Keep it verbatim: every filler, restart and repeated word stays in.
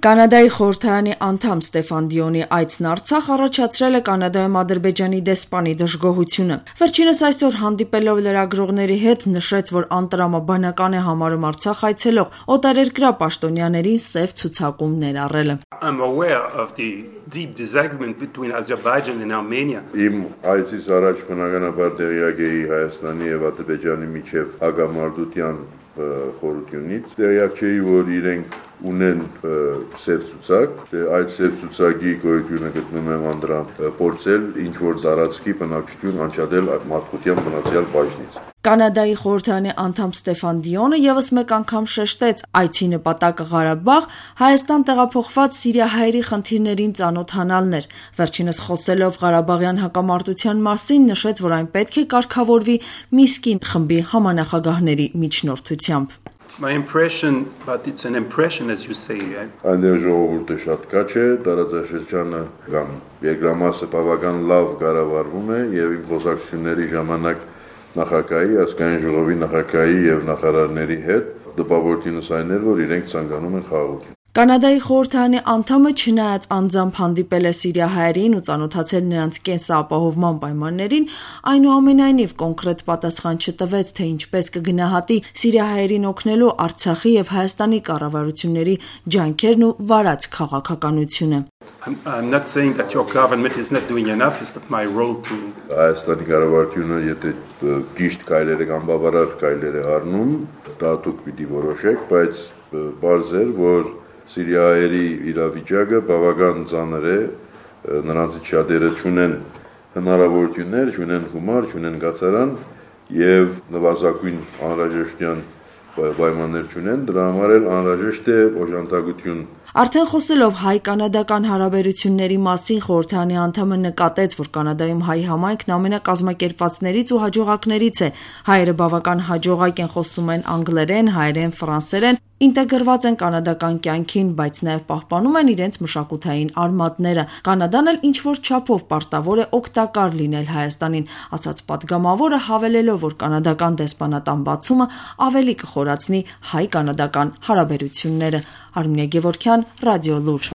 Կանադայի խորհրդարանի անդամ Ստեֆան Դիոնի այցն Արցախ առաջացրել է Կանադայում Ադրբեջանի դեսպանի դժգոհությունը։ Վերջինս այսօր հանդիպելով լրագրողների հետ նշեց, որ անտրամաբանական է համարում Արցախ այցելող օտարերկրյա պաշտոնյաներին սև ցուցակում ներառելը։ I'm aware of the deep disagreement between Azerbaijan and Armenia. Իմ այցից առաջ բնականաբար տեղյակ էի Հայաստանի եւ Ադրբեջանի միջև հագամարտության խորությունից, տեղյակ չէի, որ իրենք ունեն սև ցուցակ, այդ սև ցուցակի գոյությունը գտնում եմ անդրամ փորձել ինչ-որ տարածքի բնակչություն անջատել մարդկության բնացյալ բաժնից։ Կանադայի խորհրդարանի անդամ Ստեֆան Դիոնը ևս մեկ անգամ շեշտեց այցի նպատակը Ղարաբաղ, Հայաստան տեղափոխված սիրիահայերի խնդիրներին ծանոթանալն էր։ Վերջինս խոսելով Ղարաբաղյան հակամարտության մասին նշեց, որ այն պետք է կարգավորվի Միսկի խմբի համանախագահների միջնորդությամբ։ My impression, but it's an impression as you say, right? Այնտեղ ժողովուրդը շատ քաչ է, տարածաշրջանը կամ երկրամասը բավական լավ կառավարվում է եւ իմ խոսակցությունների ժամանակ նախագահի, ազգային ժողովի նախագահի եւ նախարարների հետ տպավորությունս այն էր, որ իրենք ցանկանում են խաղաղություն։ Կանադայի խորհրդարանի անդամը չնայած անձամբ հանդիպել է սիրիահայերին ու ծանոթացել նրանց կենսապահովման պայմաններին, այնուամենայնիվ կոնկրետ պատասխան չտվեց, թե ինչպես կգնահատի սիրիահայերին օգնելու Արցախի եւ Հայաստանի կառավարությունների ջանքերն ու վարած քաղաքականությունը։ I'm, I'm not saying that your government is not doing enough, it's not my role to Հայաստանի կառավարությունը եթե ճիշտ քայլեր կամ բավարար քայլեր է առնում, դա դուք պիտի որոշեք, բայց բարձ է, որ Սիրիահայերի իրավիճակը բավական ծանր է, նրանցից շատերը չունեն հնարավորություններ, չունեն գումար, չունեն կացարան եւ նվազագույն անհրաժեշտության պայմաններ չունեն, դրա համար էլ անհրաժեշտ է օժանդակություն։ Արդեն խոսելով հայ-կանադական հարաբերությունների մասին խորհրդարանի անդամը նկատեց, որ Կանադայում հայ համայնքն ամենակազմակերպվածներից ու հաջողակներից է։ Հայերը բավական հաջողակ են, խոսում են անգլերեն, հայերեն, ֆրանսերեն, ինտեգրված են կանադական կյանքին, բայց նաև պահպանում են իրենց մշակութային արմատները։ Կանադան էլ ինչ-որ չափով պարտավոր է օգտակար լինել Հայաստանին, ասաց պատգամավորը, հավելելով, որ կանադական դեսպանատան բացումը ավելի կխորացնի հայ-կանադական հարաբերությունները։ Արմինե Գևորգյան, Ռադիո Լուր։